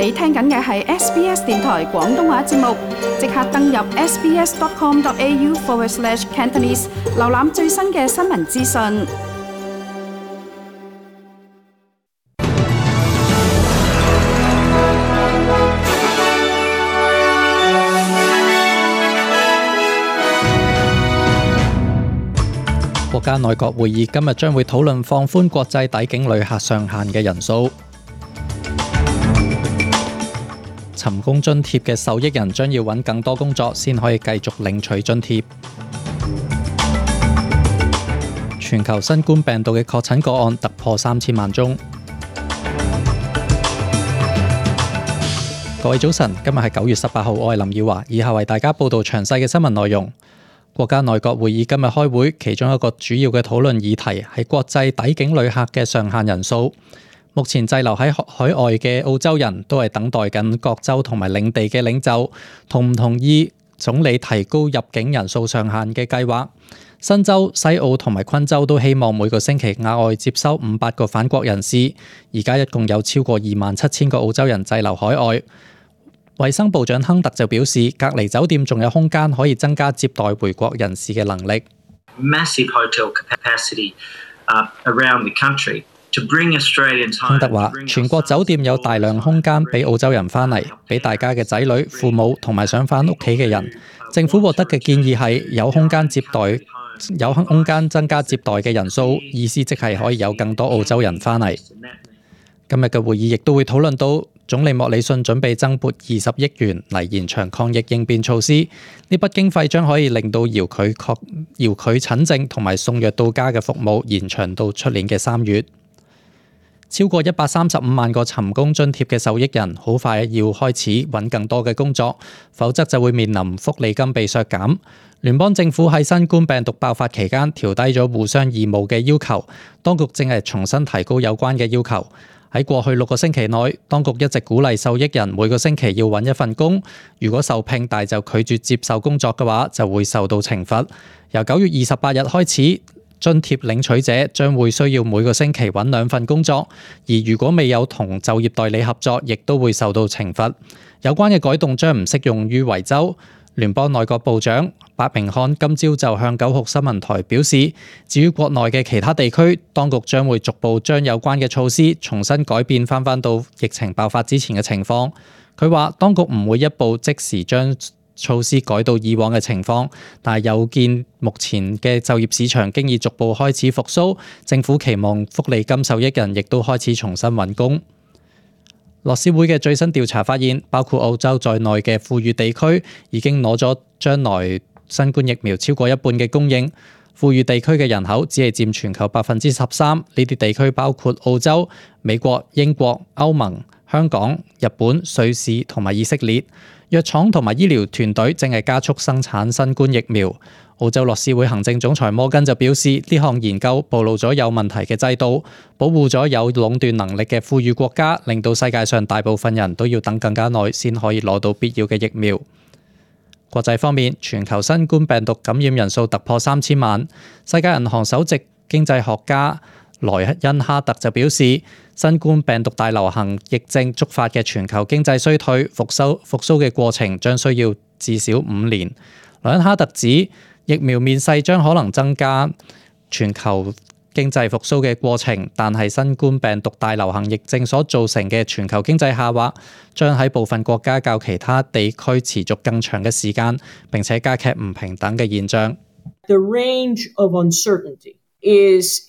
你聽緊嘅係 SBS 電台廣東話節目，即刻登入 sbs.com.au/Cantonese 瀏覽最新嘅新聞資訊。國家內閣會議今日將會討論放寬國際抵境旅客上限嘅人數。尋工津貼嘅受益人將要揾更多工作先可以繼續領取津貼。全球新冠病毒嘅確診個案突破3000萬宗。各位早晨，今日係9月18號，我係林耀華，以下為大家報道詳細嘅新聞內容。國家內閣會議今日開會，其中一個主要嘅討論議題係國際抵境旅客嘅上限人數。目前滯留喺海外嘅澳洲人都係等待緊各州同埋領地嘅領袖同唔同意總理提高入境人數上限嘅計劃。新州、西澳同埋昆州都希望每個星期額外接收500個返國人士。而家一共有超過27000個澳洲人滯留海外。衛生部長亨特就表示，隔離酒店仲有空間可以增加接待回國人士嘅能力。Massive hotel capacity around the country to bring Australians home. 亨特話，全國酒店有大量空間俾澳洲人翻嚟，俾大家嘅仔女、父母同埋想翻屋企嘅人。政府獲得嘅建議係有空間增加接待嘅人數，意思即係可以有更多澳洲人翻嚟。今日嘅會議亦都會討論到總理莫里遜準備增撥20億元嚟延長抗疫應變措施，呢筆經費將可以令到遙距診症同埋送藥到家嘅服務延長到出年嘅3月。超過135萬個尋工津貼嘅受益人好快要開始揾更多嘅工作，否則就會面臨福利金被削減。聯邦政府喺新冠病毒爆發期間調低咗互相義務嘅要求，當局正係重新提高有關嘅要求。喺過去6個星期內，當局一直鼓勵受益人每個星期要揾一份工，如果受聘但就拒絕接受工作嘅話，就會受到懲罰。由9月28日開始，津貼領取者將會需要每個星期揾2份工作，而如果未有同就業代理合作，亦都會受到懲罰。有關嘅改動將唔適用於維州。聯邦內閣部長白明漢今朝就向9號新聞台表示，至於國內嘅其他地區，當局將會逐步將有關嘅措施重新改變翻到疫情爆發之前嘅情況。佢話當局唔會一步即時將措施改到以往嘅情況，但係有見目前嘅就業市場經已逐步開始復甦，政府期望福利金受益人亦都開始重新揾工。樂施會嘅最新調查發現，包括澳洲在內嘅富裕地區已經攞咗將來新冠疫苗超過一半嘅供應。富裕地區嘅人口只係佔全球13%，呢啲地區包括澳洲、美國、英國、歐盟、香港、日本、瑞士同埋以色列。藥廠同埋醫療團隊正係加速生產新冠疫苗。澳洲樂施會行政總裁摩根就表示，呢項研究暴露咗有問題嘅制度，保護咗有壟斷能力嘅富裕國家，令到世界上大部分人都要等更加耐先可以攞到必要嘅疫苗。國際方面，全球新冠病毒感染人數突破3000萬。世界銀行首席經濟學家萊恩哈特就表示，新冠病毒大流行疫症觸發嘅全球經濟衰退復甦嘅過程將需要至少5年。萊恩哈特指，疫苗面世將可能增加全球經濟復甦嘅過程，但係新冠病毒大流行疫症所造成嘅全球經濟下滑，將喺部分國家較其他地區持續更長嘅時間，並且加劇唔平等嘅現象。The range of uncertainty is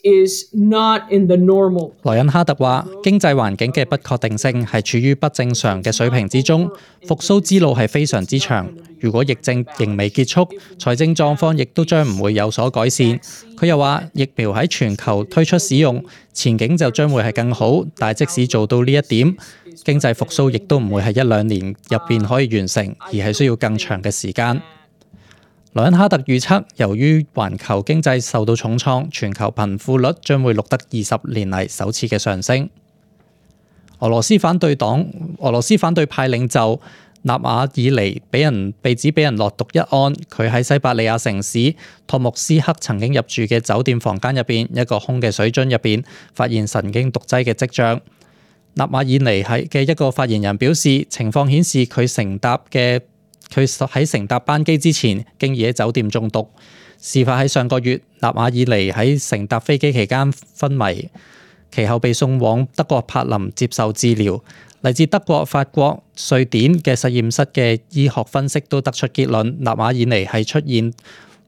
not in the normal. 萊恩哈特話，經濟環境嘅不確定性係處於不正常嘅水平之中，復甦之路係非常之長。如果疫症仍未結束，財政狀況亦都將唔會有所改善。佢又話，疫苗喺全球推出使用，前景就將會係更好，但係即使做到呢一點，經濟復甦亦都唔會係1-2年入邊可以完成，而係需要更長嘅時間。萊恩哈特預測，由於環球經濟受到重創，全球貧富率將會錄得20年嚟首次嘅上升。俄羅斯反對派領袖納瓦爾尼被指俾人落毒一案，佢喺西伯利亞城市托木斯克曾經入住嘅酒店房間入邊一個空嘅水樽入邊發現神經毒劑嘅跡象。納瓦爾尼嘅一個發言人表示，情況顯示佢喺乘搭班機之前，經已喺酒店中毒。事發喺上個月，納瓦爾尼喺乘搭飛機期間昏迷，其後被送往德國柏林接受治療。嚟自德國、法國、瑞典嘅實驗室嘅醫學分析都得出結論，納瓦爾尼係出現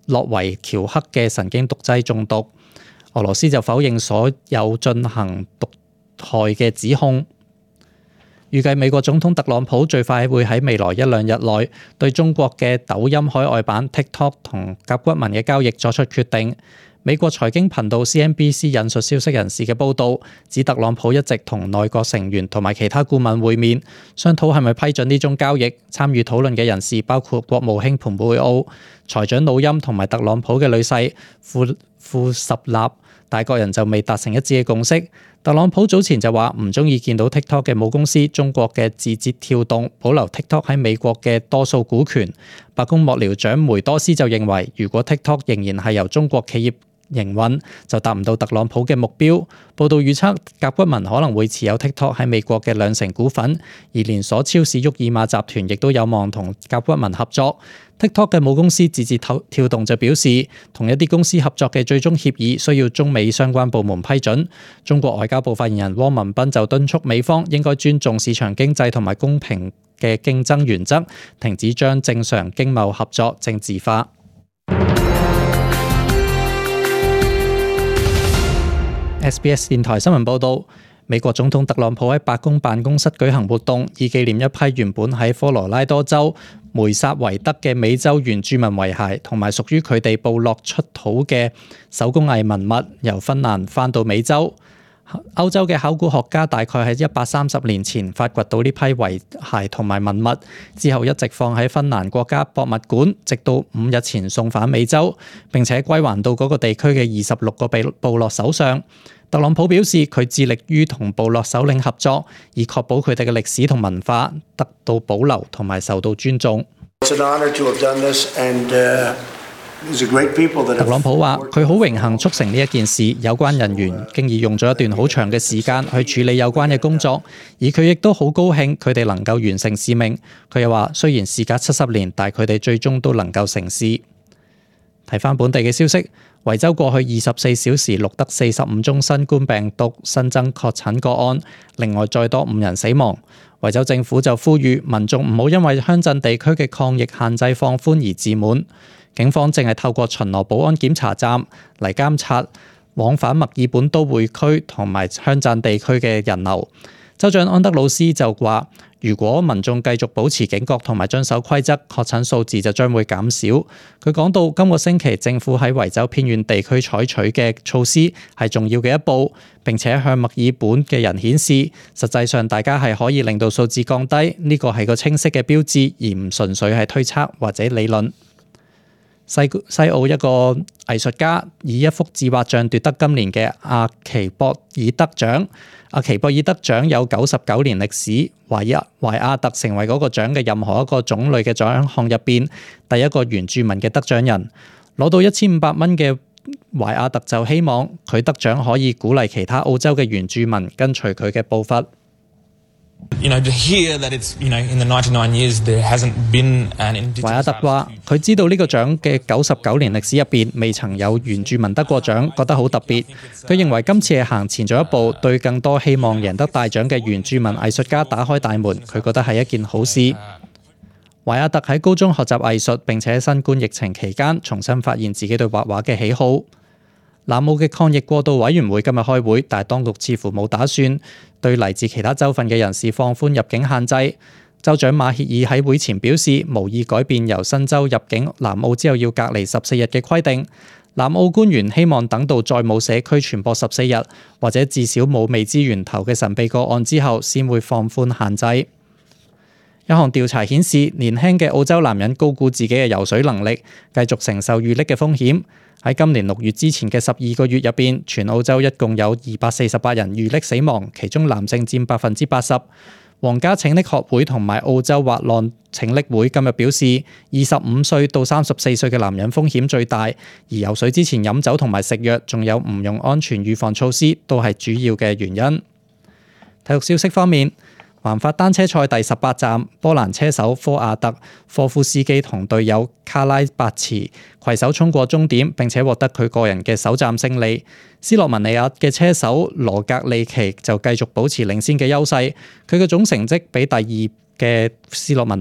諾維喬克嘅神經毒劑中毒。俄羅斯就否認所有進行毒害嘅指控。預計美國總統特朗普最快會喺未來1、2日內對中國嘅抖音海外版 TikTok 同甲骨文嘅交易作出決定。美國財經頻道 CNBC 引述消息人士嘅報導，指特朗普一直同內閣成員同埋其他顧問會面，商討係咪批准呢種交易。參與討論嘅人士包括國務卿蓬佩奧、財長努欽同埋特朗普嘅女婿庫什納，但各人就未達成一致嘅共識。特朗普早前就話唔中意見到 TikTok 嘅母公司中國嘅字節跳動保留 TikTok 喺美國嘅多數股權。白宮幕僚長梅多斯就認為，如果 TikTok 仍然係由中國企業營運，就達唔到特朗普嘅目標。報道預測，甲骨文可能會持有 TikTok 喺美國嘅2成股份，而連鎖超市沃爾瑪集團亦都有望同甲骨文合作。TikTok 嘅母公司字節跳動就表示，同一啲公司合作嘅最終協議需要中美相關部門批准。中國外交部發言人汪文斌就敦促美方應該尊重市場經濟同埋公平嘅競爭原則，停止將正常經貿合作政治化。SBS 電台新聞報導，美國總統特朗普喺白宮辦公室舉行活動，以紀念一批原本喺科羅拉多州梅薩維德嘅美洲原住民遺骸同埋屬於佢哋部落出土嘅手工藝文物，由芬蘭返到美洲。歐洲嘅考古學家大概喺130年前發掘到呢批遺骸同埋文物，之後一直放喺芬蘭國家博物館，直到5日前送返美洲，並且歸還到嗰個地區嘅26個部落手上。特朗普表示，佢致力於同部落首領合作，以確保佢哋嘅歷史同文化得到保留同埋受到尊重。特朗普話：佢好榮幸促成呢一件事，有關人員經已用咗一段好長嘅時間去處理有關嘅工作，而佢亦都好高興佢哋能夠完成使命。佢又話：雖然事隔70年，但佢哋最終都能夠成事。睇返本地嘅消息，維州過去24小時錄得45宗新冠病毒新增確診個案，另外再多5人死亡。維州政府就呼籲民眾唔好因為鄉鎮地區嘅抗疫限制放寬而自滿。警方正係透過巡邏保安檢查站嚟監察往返墨爾本都會區同埋鄉鎮地區嘅人流。州長安德魯斯就話，如果民眾繼續保持警覺同埋遵守規則，確診數字就將會減少。佢講到，今個星期政府喺維州偏遠地區採取嘅措施係重要嘅一步，並且向墨爾本嘅人顯示，實際上大家係可以令到數字降低，呢個係個清晰嘅標誌，而唔純粹係推測或者理論。西澳一個藝術家以一幅自畫像奪得今年嘅阿奇博爾德獎。阿奇博爾德獎有99年歷史，懷亞特成為嗰個獎嘅任何一個種類嘅獎項入邊第一個原住民嘅得獎人。攞到1500蚊嘅懷亞特就希望佢得獎可以鼓勵其他澳洲嘅原住民跟隨佢嘅步伐。懷亞特話：佢知道呢個獎嘅99年歷史入邊未曾有原住民得過獎，覺得好特別。佢認為今次係行前咗一步，對更多希望贏得大獎嘅原住民藝術家打開大門。佢覺得係一件好事。懷亞特喺高中學習藝術，並且喺新冠疫情期間重新發現自己對畫畫嘅喜好。南澳嘅抗疫過渡委員會今日開會，但係當局似乎冇打算對嚟自其他州份嘅人士放寬入境限制。州長馬歇爾喺會前表示，無意改變由新州入境南澳之後要隔離14日嘅規定。南澳官員希望等到再冇社區傳播14日，或者至少冇未知源頭嘅神秘個案之後，先會放寬限制。一項調查顯示，年輕嘅澳洲男人高估自己嘅游水能力，繼續承受遇溺嘅風險。喺今年6月之前嘅12個月入邊，全澳洲一共有248人遇溺死亡，其中男性佔80%。皇家拯溺學會同埋澳洲滑浪拯溺會今日表示，25歲到34歲嘅男人風險最大，而游水之前飲酒同埋食藥，仲有唔用安全預防措施，都係主要嘅原因。體育消息方面，環法單車賽第18站，波蘭車手科亞特科夫斯基同隊友卡拉伯茨攜手衝過終點，並且獲得佢個人嘅首站勝利。斯洛文尼亞嘅車手羅格利奇就繼續保持領先嘅優勢，佢嘅總成績比第二嘅斯洛文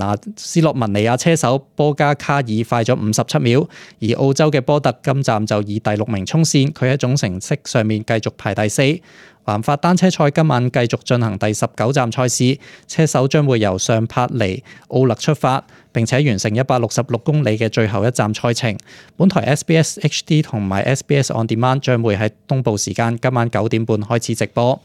尼亞車手波加卡爾快咗57秒，而澳洲嘅波特今站就以第6名衝線，佢喺總成績上面繼續排第4。環法單車賽今晚繼續進行第19站賽事，車手將會由上帕尼奧勒出發，並且完成166公里嘅最後一站賽程。本台 SBS HD 同埋 SBS On Demand 將會喺東部時間今晚9點半開始直播。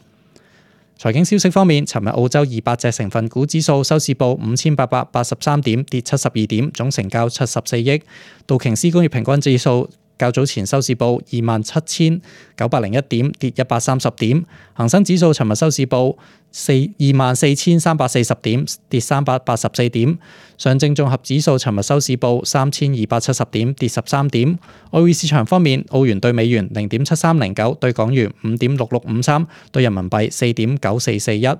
財經消息方面，尋日澳洲200隻成分股指數收市報5883點，跌72點，總成交74億。道瓊斯工業平均指數較早前收市報27901點，跌130點。恒生指數尋日收市報24340點，跌384點。上證綜合指數尋日收市報3270點，跌13點。外匯市場方面，澳元對美元0.7309，對港元5.6653，對人民幣4.9441。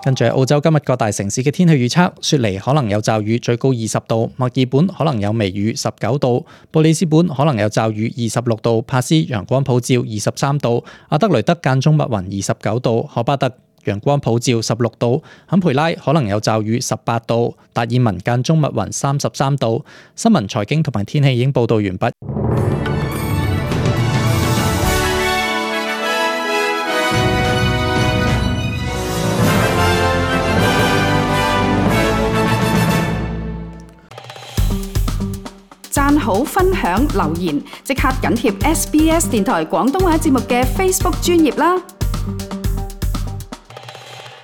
跟住澳洲今日各大城市嘅天氣預測，雪梨可能有驟雨，最高20度；墨爾本可能有微雨，19度；布里斯本可能有驟雨，26度；帕斯陽光普照，23度；阿德雷德間中密雲，29度；荷巴特陽光普照，16度；坎培拉可能有驟雨，18度；達爾文間中密雲，33度。新聞、財經同埋天氣已經報道完畢。讚好、分享、留言，即刻緊貼SBS 電台廣東話節目嘅 Facebook 專頁啦！